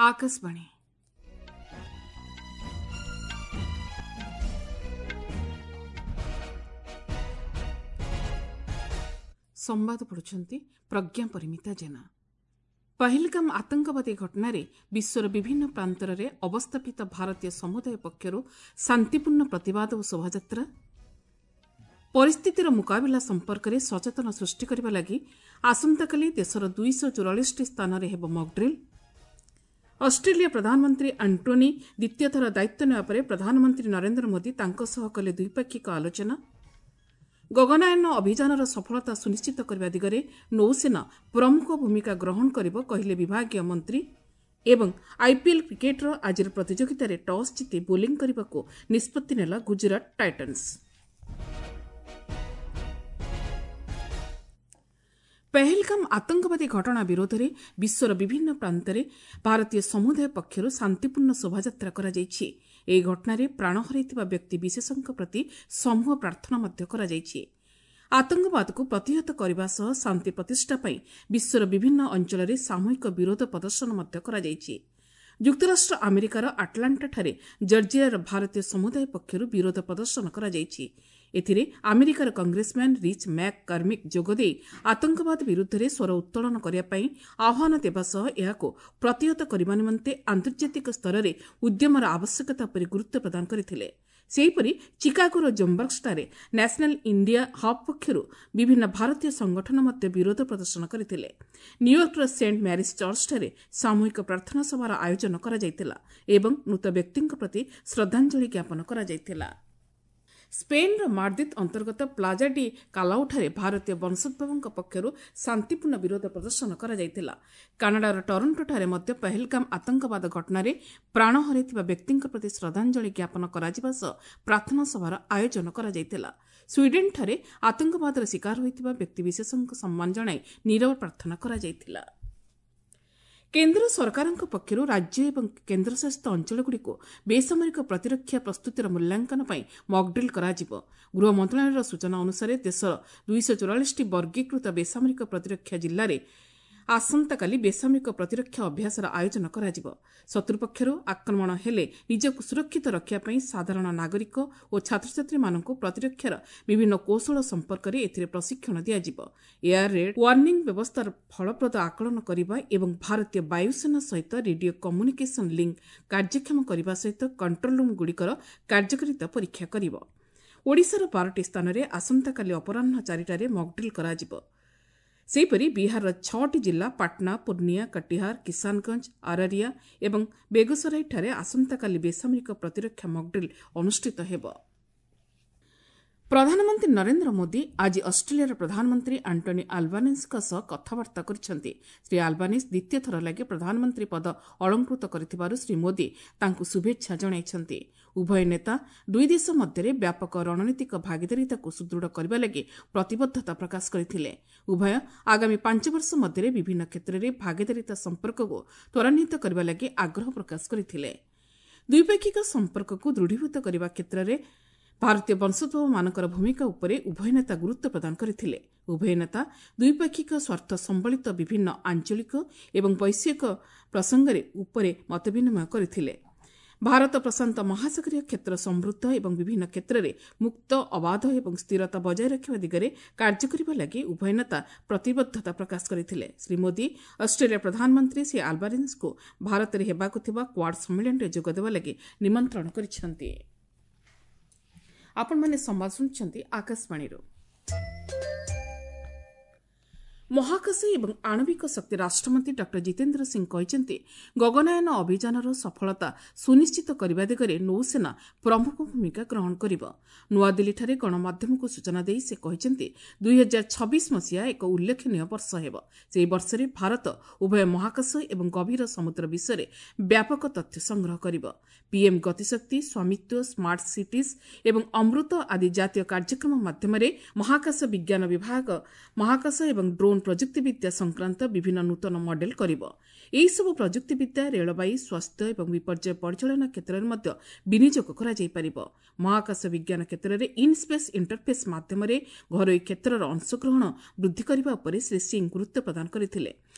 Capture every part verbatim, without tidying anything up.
ଆକାଶବାଣୀ। ସମ୍ବାଦ ପଢ଼ୁଛନ୍ତି ପ୍ରଜ୍ଞା ପରିମିତା ଜେନା। ପହଲଗାମ ଆତଙ୍କବାଦୀ ଘଟଣାରେ ବିଶ୍ୱର ବିଭିନ୍ନ ପ୍ରାନ୍ତରରେ ଅବସ୍ଥାପିତ ଭାରତୀୟ ସମୁଦାୟ ପକ୍ଷରୁ ଶାନ୍ତିପୂର୍ଣ୍ଣ ପ୍ରତିବାଦ ଓ ଶୋଭାଯାତ୍ରା। ପରିସ୍ଥିତିର ମୁକାବିଲା ସମ୍ପର୍କରେ ସଚେତନ ସୃଷ୍ଟି କରିବା ଲାଗି ଆସନ୍ତାକାଲି ଦେଶର ଦୁଇଶହ ଚଉରାଳିଶଟି ସ୍ଥାନରେ ହେବ ମକ୍ଡ୍ରିଲ୍। ଅଷ୍ଟ୍ରେଲିଆ ପ୍ରଧାନମନ୍ତ୍ରୀ ଆଣ୍ଟୋନି ଦ୍ୱିତୀୟ ଥର ଦାୟିତ୍ୱ ନେବା ପରେ ପ୍ରଧାନମନ୍ତ୍ରୀ ନରେନ୍ଦ୍ର ମୋଦି ତାଙ୍କ ସହ କଲେ ଦ୍ୱିପାକ୍ଷିକ ଆଲୋଚନା। ଗଗନାୟନ ଅଭିଯାନର ସଫଳତା ସୁନିଶ୍ଚିତ କରିବା ଦିଗରେ ନୌସେନା ପ୍ରମୁଖ ଭୂମିକା ଗ୍ରହଣ କରିବ, କହିଲେ ବିଭାଗୀୟ ମନ୍ତ୍ରୀ। ଏବଂ ଆଇପିଏଲ୍ କ୍ରିକେଟ୍ର ଆଜିର ପ୍ରତିଯୋଗିତାରେ ଟସ୍ ଜିତି ବୋଲିଂ କରିବାକୁ ନିଷ୍ପତ୍ତି ନେଲା ଗୁଜରାଟ ଟାଇଟନ୍ସ। ପେହେଲଗାମ ଆତଙ୍କବାଦୀ ଘଟଣା ବିରୋଧରେ ବିଶ୍ୱର ବିଭିନ୍ନ ପ୍ରାନ୍ତରେ ଭାରତୀୟ ସମୁଦାୟ ପକ୍ଷରୁ ଶାନ୍ତିପୂର୍ଣ୍ଣ ଶୋଭାଯାତ୍ରା କରାଯାଇଛି। ଏହି ଘଟଣାରେ ପ୍ରାଣ ହରାଇଥିବା ବ୍ୟକ୍ତି ବିଶେଷଙ୍କ ପ୍ରତି ସମୂହ ପ୍ରାର୍ଥନା ମଧ୍ୟ କରାଯାଇଛି। ଆତଙ୍କବାଦକୁ ପ୍ରତିହତ କରିବା ସହ ଶାନ୍ତି ପ୍ରତିଷ୍ଠା ପାଇଁ ବିଶ୍ୱର ବିଭିନ୍ନ ଅଞ୍ଚଳରେ ସାମୂହିକ ବିରୋଧ ପ୍ରଦର୍ଶନ ମଧ୍ୟ କରାଯାଇଛି। ଯୁକ୍ତରାଷ୍ଟ୍ର ଆମେରିକାର ଆଟଲାଣ୍ଟାଠାରେ ଜର୍ଜିଆର ଭାରତୀୟ ସମୁଦାୟ ପକ୍ଷରୁ ବିରୋଧ ପ୍ରଦର୍ଶନ କରାଯାଇଛି। ଏଥିରେ ଆମେରିକାର କଂଗ୍ରେସମ୍ୟାନ୍ ରିଚ୍ ମ୍ୟାକ୍ କର୍ମିକ୍ ଯୋଗଦେଇ ଆତଙ୍କବାଦ ବିରୁଦ୍ଧରେ ସ୍ୱର ଉତ୍ତୋଳନ କରିବା ପାଇଁ ଆହ୍ୱାନ ଦେବା ସହ ଏହାକୁ ପ୍ରତିହତ କରିବା ନିମନ୍ତେ ଆନ୍ତର୍ଜାତିକ ସ୍ତରରେ ଉଦ୍ୟମର ଆବଶ୍ୟକତା ଉପରେ ଗୁରୁତ୍ୱ ପ୍ରଦାନ କରିଥିଲେ। ସେହିପରି ଚିକାଗୋର ଜୋମ୍ବର୍ଗସଠାରେ ନ୍ୟାସନାଲ୍ ଇଣ୍ଡିଆ ହବ୍ ପକ୍ଷରୁ ବିଭିନ୍ନ ଭାରତୀୟ ସଂଗଠନ ମଧ୍ୟ ବିରୋଧ ପ୍ରଦର୍ଶନ କରିଥିଲେ। ନ୍ୟୁୟର୍କର ସେଣ୍ଟ ମ୍ୟାରିସ୍ ଚର୍ଚ୍ଚଠାରେ ସାମୂହିକ ପ୍ରାର୍ଥନା ସଭାର ଆୟୋଜନ କରାଯାଇଥିଲା ଏବଂ ମୃତ ବ୍ୟକ୍ତିଙ୍କ ପ୍ରତି ଶ୍ରଦ୍ଧାଞ୍ଜଳି ଜ୍ଞାପନ କରାଯାଇଥିଲା। ସ୍ପେନ୍ର ମାଡ୍ରିଦ୍ ଅନ୍ତର୍ଗତ ପ୍ଲାଜା ଡି କାଲାଉଠାରେ ଭାରତୀୟ ବଂଶୋଦ୍ଭବଙ୍କ ପକ୍ଷରୁ ଶାନ୍ତିପୂର୍ଣ୍ଣ ବିରୋଧ ପ୍ରଦର୍ଶନ କରାଯାଇଥିଲା। କାନାଡାର ଟରଣ୍ଟୋଠାରେ ମଧ୍ୟ ପହଲଗାମ ଆତଙ୍କବାଦ ଘଟଣାରେ ପ୍ରାଣ ହରାଇଥିବା ବ୍ୟକ୍ତିଙ୍କ ପ୍ରତି ଶ୍ରଦ୍ଧାଞ୍ଜଳି ଜ୍ଞାପନ କରାଯିବା ସହ ପ୍ରାର୍ଥନା ସଭାର ଆୟୋଜନ କରାଯାଇଥିଲା। ସ୍ୱିଡେନ୍ଠାରେ ଆତଙ୍କବାଦର ଶିକାର ହୋଇଥିବା ବ୍ୟକ୍ତିବିଶେଷଙ୍କୁ ସମ୍ମାନ ଜଣାଇ ନୀରବ ପ୍ରାର୍ଥନା କରାଯାଇଥିଲା। କେନ୍ଦ୍ର ସରକାରଙ୍କ ପକ୍ଷରୁ ରାଜ୍ୟ ଏବଂ କେନ୍ଦ୍ରଶାସିତ ଅଞ୍ଚଳଗୁଡ଼ିକୁ ବେସାମରିକ ପ୍ରତିରକ୍ଷା ପ୍ରସ୍ତୁତିର ମୂଲ୍ୟାଙ୍କନ ପାଇଁ ମକ୍ଡ୍ରିଲ୍ କରାଯିବ। ଗୃହ ମନ୍ତ୍ରଣାଳୟର ସୂଚନା ଅନୁସାରେ ଦେଶର ଦୁଇଶହ ଚଉରାଳିଶଟି ବର୍ଗୀକୃତ ବେସାମରିକ ପ୍ରତିରକ୍ଷା ଜିଲ୍ଲାରେ ଆସନ୍ତାକାଲି ବେସାମରିକ ପ୍ରତିରକ୍ଷା ଅଭ୍ୟାସର ଆୟୋଜନ କରାଯିବ। ଶତ୍ରୁପକ୍ଷରୁ ଆକ୍ରମଣ ହେଲେ ନିଜକୁ ସୁରକ୍ଷିତ ରଖିବା ପାଇଁ ସାଧାରଣ ନାଗରିକ ଓ ଛାତ୍ରଛାତ୍ରୀମାନଙ୍କୁ ପ୍ରତିରକ୍ଷାର ବିଭିନ୍ନ କୌଶଳ ସମ୍ପର୍କରେ ଏଥିରେ ପ୍ରଶିକ୍ଷଣ ଦିଆଯିବ। ଏୟାର ରେଡ୍ ୱାର୍ଣ୍ଣିଂ ବ୍ୟବସ୍ଥାର ଫଳପ୍ରଦ ଆକଳନ କରିବା ଏବଂ ଭାରତୀୟ ବାୟୁସେନା ସହିତ ରେଡିଓ କମ୍ୟୁନିକେସନ୍ ଲିଙ୍କ୍ କାର୍ଯ୍ୟକ୍ଷମ କରିବା ସହିତ କଣ୍ଟ୍ରୋଲ ରୁମ୍ଗୁଡ଼ିକର କାର୍ଯ୍ୟକାରିତା ପରୀକ୍ଷା କରିବ। ଓଡ଼ିଶାର ବାରଟି ସ୍ଥାନରେ ଆସନ୍ତାକାଲି ଅପରାହ୍ନ ଚାରିଟାରେ ମକ୍ଡ୍ରିଲ୍ କରାଯିବ। ସେହିପରି ବିହାରର ଛଅଟି ଜିଲ୍ଲା ପାଟନା, ପୂର୍ଣ୍ଣିଆ, କଟିହାର, କିଷାନଗଞ୍ଜ, ଆରରିଆ ଏବଂ ବେଗୁସରାଇଠାରେ ଆସନ୍ତାକାଲି ବେସାମରିକ ପ୍ରତିରକ୍ଷା ମକ୍ଡ୍ରିଲ୍ ଅନୁଷ୍ଠିତ ହେବ। ପ୍ରଧାନମନ୍ତ୍ରୀ ନରେନ୍ଦ୍ର ମୋଦି ଆଜି ଅଷ୍ଟ୍ରେଲିଆର ପ୍ରଧାନମନ୍ତ୍ରୀ ଆଣ୍ଟୋନି ଆଲବାନିସ୍ଙ୍କ ସହ କଥାବାର୍ତ୍ତା କରିଛନ୍ତି। ଶ୍ରୀ ଆଲବାନିସ୍ ଦ୍ୱିତୀୟ ଥର ଲାଗି ପ୍ରଧାନମନ୍ତ୍ରୀ ପଦ ଅଳଙ୍କୃତ କରିଥିବାରୁ ଶ୍ରୀ ମୋଦି ତାଙ୍କୁ ଶୁଭେଚ୍ଛା ଜଣାଇଛନ୍ତି। ଉଭୟ ନେତା ଦୁଇ ଦେଶ ମଧ୍ୟରେ ବ୍ୟାପକ ରଣନୀତିକ ଭାଗିଦାରିତାକୁ ସୁଦୃଢ଼ କରିବା ଲାଗି ପ୍ରତିବଦ୍ଧତା ପ୍ରକାଶ କରିଥିଲେ। ଉଭୟ ଆଗାମୀ ପାଞ୍ଚ ବର୍ଷ ମଧ୍ୟରେ ବିଭିନ୍ନ କ୍ଷେତ୍ରରେ ଭାଗିଦାରିତା ସମ୍ପର୍କକୁ ତ୍ୱରାନ୍ୱିତ କରିବା ଲାଗି ଆଗ୍ରହ ପ୍ରକାଶ କରିଥିଲେ। ଦ୍ୱିପାକ୍ଷିକ ସମ୍ପର୍କକୁ ଦୃଢ଼ୀଭୂତ କରିବା କ୍ଷେତ୍ରରେ ଭାରତୀୟ ବଂଶୋଦ୍ଭବମାନଙ୍କର ଭୂମିକା ଉପରେ ଉଭୟ ନେତା ଗୁରୁତ୍ୱ ପ୍ରଦାନ କରିଥିଲେ। ଉଭୟ ନେତା ଦ୍ୱିପାକ୍ଷିକ ସ୍ୱାର୍ଥ ସମ୍ବଳିତ ବିଭିନ୍ନ ଆଞ୍ଚଳିକ ଏବଂ ବୈଶ୍ୱିକ ପ୍ରସଙ୍ଗରେ ଉପରେ ମତବିନିମୟ କରିଥିଲେ। ଭାରତ ପ୍ରଶାନ୍ତ ମହାସାଗରୀୟ କ୍ଷେତ୍ର ସମୃଦ୍ଧ ଏବଂ ବିଭିନ୍ନ କ୍ଷେତ୍ରରେ ମୁକ୍ତ, ଅବାଧ ଏବଂ ସ୍ଥିରତା ବଜାୟ ରଖିବା ଦିଗରେ କାର୍ଯ୍ୟ କରିବା ଲାଗି ଉଭୟ ନେତା ପ୍ରତିବଦ୍ଧତା ପ୍ରକାଶ କରିଥିଲେ। ଶ୍ରୀ ମୋଦି ଅଷ୍ଟ୍ରେଲିଆ ପ୍ରଧାନମନ୍ତ୍ରୀ ଶ୍ରୀ ଆଲବାନିସ୍ଙ୍କୁ ଭାରତରେ ହେବାକୁ ଥିବା କ୍ୱାଡ୍ ସମ୍ମିଳନୀରେ ଯୋଗଦେବା ଲାଗି ନିମନ୍ତ୍ରଣ କରିଛନ୍ତି। ଆପଣମାନେ ସମ୍ବାଦ ଶୁଣୁଛନ୍ତି ଆକାଶବାଣୀରୁ। ମହାକାଶ ଏବଂ ଆଣବିକ ଶକ୍ତି ରାଷ୍ଟ୍ରମନ୍ତ୍ରୀ ଡକ୍ଟର ଜିତେନ୍ଦ୍ର ସିଂ କହିଛନ୍ତି, ଗଗନାୟନ ଅଭିଯାନର ସଫଳତା ସୁନିଶ୍ଚିତ କରିବା ଦିଗରେ ନୌସେନା ପ୍ରମୁଖ ଭୂମିକା ଗ୍ରହଣ କରିବ। ନୂଆଦିଲ୍ଲୀଠାରେ ଗଣମାଧ୍ୟମକୁ ସୂଚନା ଦେଇ ସେ କହିଛନ୍ତି, ଦୁଇହଜାର ଛବିଶ ମସିହା ଏକ ଉଲ୍ଲେଖନୀୟ ବର୍ଷ ହେବ। ସେହି ବର୍ଷରେ ଭାରତ ଉଭୟ ମହାକାଶ ଏବଂ ଗଭୀର ସମୁଦ୍ର ବିଷୟରେ ବ୍ୟାପକ ତଥ୍ୟ ସଂଗ୍ରହ କରିବ। ପିଏମ୍ ଗତିଶକ୍ତି, ସ୍ୱାମିତ୍ୱ, ସ୍ମାର୍ଟ ସିଟିଜ୍ ଏବଂ ଅମୃତ ଆଦି ଜାତୀୟ କାର୍ଯ୍ୟକ୍ରମ ମାଧ୍ୟମରେ ମହାକାଶ ବିଜ୍ଞାନ ବିଭାଗ ମହାକାଶ ଏବଂ ଡ୍ରୋନ୍ ଡ୍ରୋନ୍ ପ୍ରଯୁକ୍ତିବିଦ୍ୟା ସଂକ୍ରାନ୍ତ ବିଭିନ୍ନ ନୂତନ ମଡେଲ କରିବ। ଏହିସବୁ ପ୍ରଯୁକ୍ତିବିଦ୍ୟା ରେଳବାଇ, ସ୍ୱାସ୍ଥ୍ୟ ଏବଂ ବିପର୍ଯ୍ୟୟ ପରିଚାଳନା କ୍ଷେତ୍ରରେ ମଧ୍ୟ ବିନିଯୋଗ କରାଯାଇପାରିବ। ମହାକାଶ ବିଜ୍ଞାନ କ୍ଷେତ୍ରରେ ଇନ୍ ସ୍ପେସ୍ ଇଣ୍ଟରଫେସ୍ ମାଧ୍ୟମରେ ଘରୋଇ କ୍ଷେତ୍ରର ଅଂଶଗ୍ରହଣ ବୃଦ୍ଧି କରିବା ଉପରେ ଶ୍ରୀ ସିଂ ଗୁରୁତ୍ୱ ପ୍ରଦାନ କରିଥିଲେ।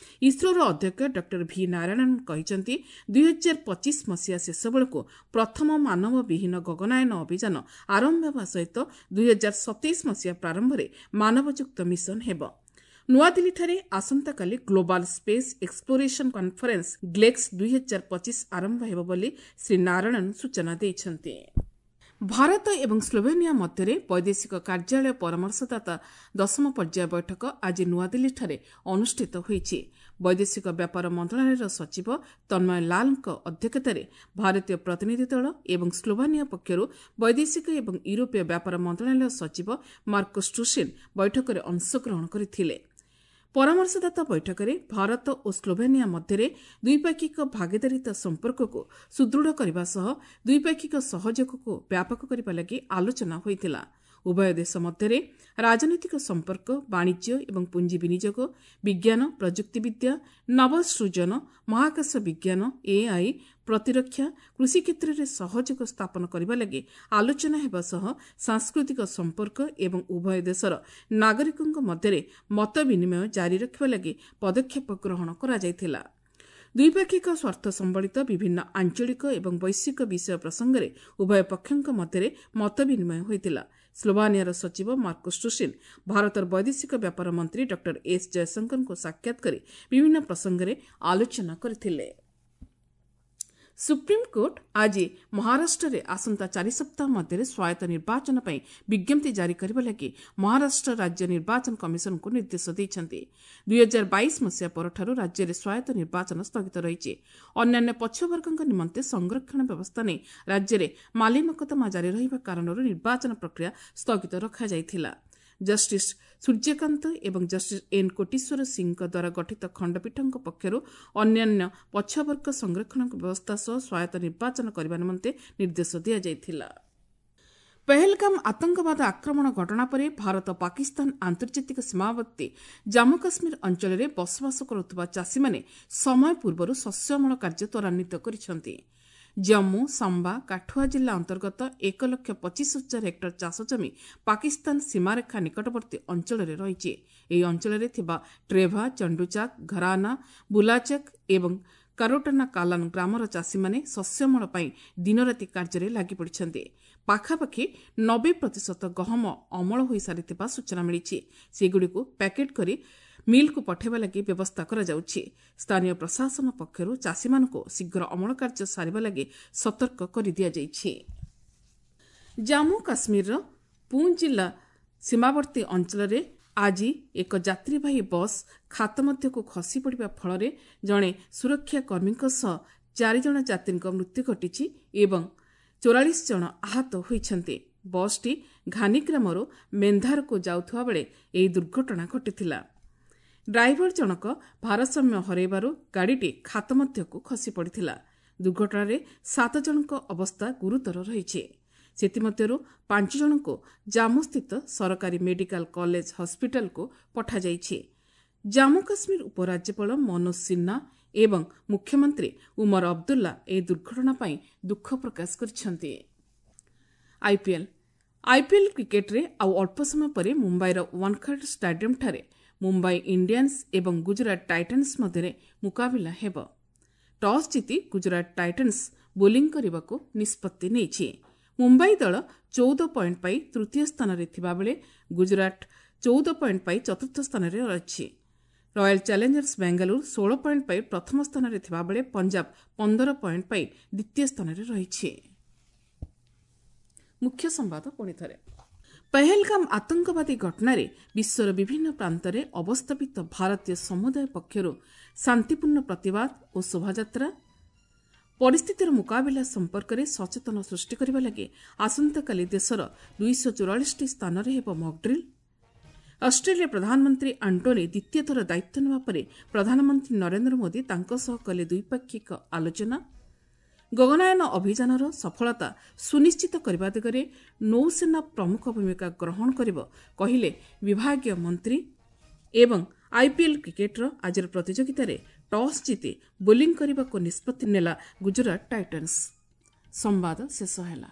ଇସ୍ରୋର ଅଧ୍ୟକ୍ଷ ଡକ୍ଟର ଭି ନାରାୟଣନ୍ କହିଛନ୍ତି, ଦୁଇହଜାର ପଚିଶ ମସିହା ଶେଷ ବେଳକୁ ପ୍ରଥମ ମାନବବିହୀନ ଗଗନାୟନ ଅଭିଯାନ ଆରମ୍ଭ ହେବା ସହିତ ଦୁଇହଜାର ସତେଇଶ ମସିହା ପ୍ରାରମ୍ଭରେ ମାନବଯୁକ୍ତ ମିଶନ ହେବ। ନୂଆଦିଲ୍ଲୀଠାରେ ଆସନ୍ତାକାଲି ଗ୍ଲୋବାଲ ସ୍ପେସ୍ ଏକ୍ସପ୍ଲୋରେସନ୍ କନ୍ଫରେନ୍ସ ଗ୍ଲେକ୍ସ ଦୁଇହଜାର ପଚିଶ ଆରମ୍ଭ ହେବ ବୋଲି ଶ୍ରୀ ନାରାୟଣନ୍ ସୂଚନା ଦେଇଛନ୍ତି। ଭାରତ ଏବଂ ସ୍ଲୋଭେନିଆ ମଧ୍ୟରେ ବୈଦେଶିକ କାର୍ଯ୍ୟାଳୟ ପରାମର୍ଶଦାତା ଦଶମ ପର୍ଯ୍ୟାୟ ବୈଠକ ଆଜି ନୂଆଦିଲ୍ଲୀଠାରେ ଅନୁଷ୍ଠିତ ହୋଇଛି। ବୈଦେଶିକ ବ୍ୟାପାର ମନ୍ତ୍ରଣାଳୟର ସଚିବ ତନ୍ମୟ ଲାଲଙ୍କ ଅଧ୍ୟକ୍ଷତାରେ ଭାରତୀୟ ପ୍ରତିନିଧି ଦଳ ଏବଂ ସ୍ଲୋଭାନିଆ ପକ୍ଷରୁ ବୈଦେଶିକ ଏବଂ ୟୁରୋପୀୟ ବ୍ୟାପାର ମନ୍ତ୍ରଣାଳୟ ସଚିବ ମାର୍କୋ ଷ୍ଟ୍ରୁସିନ୍ ବୈଠକରେ ଅଂଶଗ୍ରହଣ କରିଥିଲେ। ପରାମର୍ଶଦାତା ବୈଠକରେ ଭାରତ ଓ ସ୍ଲୋଭେନିଆ ମଧ୍ୟରେ ଦ୍ୱିପାକ୍ଷିକ ଭାଗିଦାରିତା ସମ୍ପର୍କକୁ ସୁଦୃଢ଼ କରିବା ସହ ଦ୍ୱିପାକ୍ଷିକ ସହଯୋଗକୁ ବ୍ୟାପକ କରିବା ଲାଗି ଆଲୋଚନା ହୋଇଥିଲା। ଉଭୟ ଦେଶ ମଧ୍ୟରେ ରାଜନୈତିକ ସମ୍ପର୍କ, ବାଣିଜ୍ୟ ଏବଂ ପୁଞ୍ଜି ବିନିଯୋଗ, ବିଜ୍ଞାନ, ପ୍ରଯୁକ୍ତିବିଦ୍ୟା, ନବସୃଜନ, ମହାକାଶ ବିଜ୍ଞାନ, ଏଆଇ, ପ୍ରତିରକ୍ଷା, କୃଷି କ୍ଷେତ୍ରରେ ସହଯୋଗ ସ୍ଥାପନ କରିବା ଲାଗି ଆଲୋଚନା ହେବା ସହ ସାଂସ୍କୃତିକ ସମ୍ପର୍କ ଏବଂ ଉଭୟ ଦେଶର ନାଗରିକଙ୍କ ମଧ୍ୟରେ ମତ ବିନିମୟ ଜାରି ରଖିବା ଲାଗି ପଦକ୍ଷେପ ଗ୍ରହଣ କରାଯାଇଥିଲା। ଦ୍ୱିପାକ୍ଷିକ ସ୍ୱାର୍ଥ ସମ୍ବଳିତ ବିଭିନ୍ନ ଆଞ୍ଚଳିକ ଏବଂ ବୈଶ୍ୱିକ ବିଷୟ ପ୍ରସଙ୍ଗରେ ଉଭୟ ପକ୍ଷଙ୍କ ମଧ୍ୟରେ ମତ ବିନିମୟ ହୋଇଥିଲା। ସ୍ଲୋଭାନିଆର ସଚିବ ମାର୍କୋ ଷ୍ଟ୍ରୁସିନ୍ ଭାରତର ବୈଦେଶିକ ବ୍ୟାପାର ମନ୍ତ୍ରୀ ଡକ୍ଟର ଏସ୍ ଜୟଶଙ୍କରଙ୍କୁ ସାକ୍ଷାତ କରି ବିଭିନ୍ନ ପ୍ରସଙ୍ଗରେ ଆଲୋଚନା କରିଥିଲେ। ସୁପ୍ରିମକୋର୍ଟ ଆଜି ମହାରାଷ୍ଟ୍ରରେ ଆସନ୍ତା ଚାରି ସପ୍ତାହ ମଧ୍ୟରେ ସ୍ୱାୟତ୍ତ ନିର୍ବାଚନ ପାଇଁ ବିଜ୍ଞପ୍ତି ଜାରି କରିବା ଲାଗି ମହାରାଷ୍ଟ୍ର ରାଜ୍ୟ ନିର୍ବାଚନ କମିଶନଙ୍କୁ ନିର୍ଦ୍ଦେଶ ଦେଇଛନ୍ତି। ଦୁଇହଜାର ବାଇଶ ମସିହା ପରଠାରୁ ରାଜ୍ୟରେ ସ୍ୱାୟତ୍ତ ନିର୍ବାଚନ ସ୍ଥଗିତ ରହିଛି। ଅନ୍ୟାନ୍ୟ ପଛୁଆବର୍ଗଙ୍କ ନିମନ୍ତେ ସଂରକ୍ଷଣ ବ୍ୟବସ୍ଥା ନେଇ ରାଜ୍ୟରେ ମାଲିମକଦ୍ଦମା ଜାରି ରହିବା କାରଣରୁ ନିର୍ବାଚନ ପ୍ରକ୍ରିୟା ସ୍ଥଗିତ ରଖାଯାଇଥିଲା। ଜଷ୍ଟିସ୍ ସୂର୍ଯ୍ୟକାନ୍ତ ଏବଂ ଜଷ୍ଟିସ୍ ଏନ୍ କୋଟିଶ୍ୱର ସିଂଙ୍କ ଦ୍ୱାରା ଗଠିତ ଖଣ୍ଡପୀଠଙ୍କ ପକ୍ଷରୁ ଅନ୍ୟାନ୍ୟ ପଛୁଆବର୍ଗ ସଂରକ୍ଷଣ ବ୍ୟବସ୍ଥା ସହ ସ୍ୱାୟତ୍ତ ନିର୍ବାଚନ କରିବା ନିମନ୍ତେ ନିର୍ଦ୍ଦେଶ ଦିଆଯାଇଥିଲା। ପହଲଗାମ ଆତଙ୍କବାଦ ଆକ୍ରମଣ ଘଟଣା ପରେ ଭାରତ ପାକିସ୍ତାନ ଆନ୍ତର୍ଜାତିକ ସୀମାବର୍ତ୍ତୀ ଜାମ୍ମୁ କାଶ୍ମୀର ଅଞ୍ଚଳରେ ବସବାସ କରୁଥିବା ଚାଷୀମାନେ ସମୟ ପୂର୍ବରୁ ଶସ୍ୟ ଅମଳ କାର୍ଯ୍ୟ ତ୍ୱରାନ୍ୱିତ କରିଛନ୍ତି। ଜମ୍ମୁ, ସାମ୍ବା, କାଠୁଆ ଜିଲ୍ଲା ଅନ୍ତର୍ଗତ ଏକ ଲକ୍ଷ ପଚିଶ ହଜାର ହେକ୍ଟର ଚାଷ ଜମି ପାକିସ୍ତାନ ସୀମାରେଖା ନିକଟବର୍ତ୍ତୀ ଅଞ୍ଚଳରେ ରହିଛି। ଏହି ଅଞ୍ଚଳରେ ଥିବା ଟ୍ରେଭା, ଚଣ୍ଡୁଚାକ୍, ଘରାନା, ବୁଲାଚକ୍ ଏବଂ କାରୋଟାନା କାଲାନ ଗ୍ରାମର ଚାଷୀମାନେ ଶସ୍ୟ ଅମଳ ପାଇଁ ଦିନରାତି କାର୍ଯ୍ୟରେ ଲାଗିପଡ଼ିଛନ୍ତି। ପାଖାପାଖି ନବେ ପ୍ରତିଶତ ଗହମ ଅମଳ ହୋଇସାରିଥିବା ସୂଚନା ମିଳିଛି। ସେଗୁଡ଼ିକୁ ପ୍ୟାକେଟ୍ କରି ମିଲ୍କୁ ପଠାଇବା ଲାଗି ବ୍ୟବସ୍ଥା କରାଯାଉଛି। ସ୍ଥାନୀୟ ପ୍ରଶାସନ ପକ୍ଷରୁ ଚାଷୀମାନଙ୍କୁ ଶୀଘ୍ର ଅମଳ କାର୍ଯ୍ୟ ସାରିବା ଲାଗି ସତର୍କ କରିଦିଆଯାଇଛି। ଜାମ୍ମୁ କାଶ୍ମୀରର ପୁଞ୍ଚ ଜିଲ୍ଲା ସୀମାବର୍ତ୍ତୀ ଅଞ୍ଚଳରେ ଆଜି ଏକ ଯାତ୍ରୀବାହୀ ବସ୍ ଖାତ ମଧ୍ୟକୁ ଖସି ପଡ଼ିବା ଫଳରେ ଜଣେ ସୁରକ୍ଷା କର୍ମୀଙ୍କ ସହ ଚାରିଜଣ ଯାତ୍ରୀଙ୍କ ମୃତ୍ୟୁ ଘଟିଛି ଏବଂ ଚଉରାଳିଶ ଜଣ ଆହତ ହୋଇଛନ୍ତି। ବସ୍ଟି ଘାନିଗ୍ରାମରୁ ମେନ୍ଧାରକୁ ଯାଉଥିବା ବେଳେ ଏହି ଦୁର୍ଘଟଣା ଘଟିଥିଲା। ଡ୍ରାଇଭର ଜଣକ ଭାରସାମ୍ୟ ହରାଇବାରୁ ଗାଡ଼ିଟି ଖାତ ମଧ୍ୟକୁ ଖସି ପଡ଼ିଥିଲା। ଦୁର୍ଘଟଣାରେ ସାତ ଜଣଙ୍କ ଅବସ୍ଥା ଗୁରୁତର ରହିଛି। ସେଥିମଧ୍ୟରୁ ପାଞ୍ଚ ଜଣଙ୍କୁ ଜାମ୍ମୁସ୍ଥିତ ସରକାରୀ ମେଡିକାଲ କଲେଜ ହସ୍ପିଟାଲକୁ ପଠାଯାଇଛି। ଜାମ୍ମୁ କାଶ୍ମୀର ଉପରାଜ୍ୟପାଳ ମନୋଜ ସିହ୍ନା ଏବଂ ମୁଖ୍ୟମନ୍ତ୍ରୀ ଉମର ଅବଦୁଲ୍ଲା ଏହି ଦୁର୍ଘଟଣା ପାଇଁ ଦୁଃଖ ପ୍ରକାଶ କରିଛନ୍ତି। ଆଇପିଏଲ୍ ଆଇପିଏଲ୍ କ୍ରିକେଟରେ ଆଉ ଅଳ୍ପ ସମୟ ପରେ ମୁମ୍ବାଇର ୱାନଖାଡେ ଷ୍ଟାଡିୟମଠାରେ ମୁମ୍ବାଇ ଇଣ୍ଡିଆନ୍ସ ଏବଂ ଗୁଜରାଟ ଟାଇଟନ୍ସ ମଧ୍ୟରେ ମୁକାବିଲା ହେବ। ଟସ୍ ଜିତି ଗୁଜରାଟ ଟାଇଟନ୍ସ ବୋଲିଂ କରିବାକୁ ନିଷ୍ପତ୍ତି ନେଇଛି। ମୁମ୍ବାଇ ଦଳ ଚଉଦ ପଏଣ୍ଟ ପାଇ ତୃତୀୟ ସ୍ଥାନରେ ଥିବାବେଳେ ଗୁଜରାଟ ଚଉଦ ପଏଣ୍ଟ ପାଇ ଚତୁର୍ଥ ସ୍ଥାନରେ ଅଛି। ରୟାଲ ଚ୍ୟାଲେଞ୍ଜର୍ସ ବେଙ୍ଗାଲୁରୁ ଷୋହଳ ପଏଣ୍ଟ ପାଇ ପ୍ରଥମ ସ୍ଥାନରେ ଥିବାବେଳେ ପଞ୍ଜାବ ପନ୍ଦର ପଏଣ୍ଟ ପାଇ ଦ୍ୱିତୀୟ ସ୍ଥାନରେ ରହିଛି। ମୁଖ୍ୟ ସମ୍ବାଦ ପୁଣି ଥରେ। ପହଲଗାମ ଆତଙ୍କବାଦୀ ଘଟଣାରେ ବିଶ୍ୱର ବିଭିନ୍ନ ପ୍ରାନ୍ତରେ ଅବସ୍ଥାପିତ ଭାରତୀୟ ସମୁଦାୟ ପକ୍ଷରୁ ଶାନ୍ତିପୂର୍ଣ୍ଣ ପ୍ରତିବାଦ ଓ ଶୋଭାଯାତ୍ରା। ପରିସ୍ଥିତିର ମୁକାବିଲା ସମ୍ପର୍କରେ ସଚେତନ ସୃଷ୍ଟି କରିବା ଲାଗି ଆସନ୍ତାକାଲି ଦେଶର ଦୁଇଶହ ଚଉରାଳିଶଟି ସ୍ଥାନରେ ହେବ ମକଡ୍ରିଲ୍। ଅଷ୍ଟ୍ରେଲିଆ ପ୍ରଧାନମନ୍ତ୍ରୀ ଆଣ୍ଟୋନି ଦ୍ୱିତୀୟ ଥର ଦାୟିତ୍ୱ ନେବା ପରେ ପ୍ରଧାନମନ୍ତ୍ରୀ ନରେନ୍ଦ୍ର ମୋଦି ତାଙ୍କ ସହ କଲେ ଦ୍ୱିପାକ୍ଷିକ ଆଲୋଚନା। ଗଗନାୟନ ଅଭିଯାନର ସଫଳତା ସୁନିଶ୍ଚିତ କରିବା ଦିଗରେ ନୌସେନା ପ୍ରମୁଖ ଭୂମିକା ଗ୍ରହଣ କରିବ କହିଲେ ବିଭାଗୀୟ ମନ୍ତ୍ରୀ। ଏବଂ ଆଇପିଏଲ୍ କ୍ରିକେଟ୍ର ଆଜିର ପ୍ରତିଯୋଗିତାରେ ଟସ୍ ଜିତି ବୋଲିଂ କରିବାକୁ ନିଷ୍ପତ୍ତି ନେଲା ଗୁଜରାଟ ଟାଇଟନ୍ସ। ସମ୍ବାଦ ଶେଷ ହେଲା।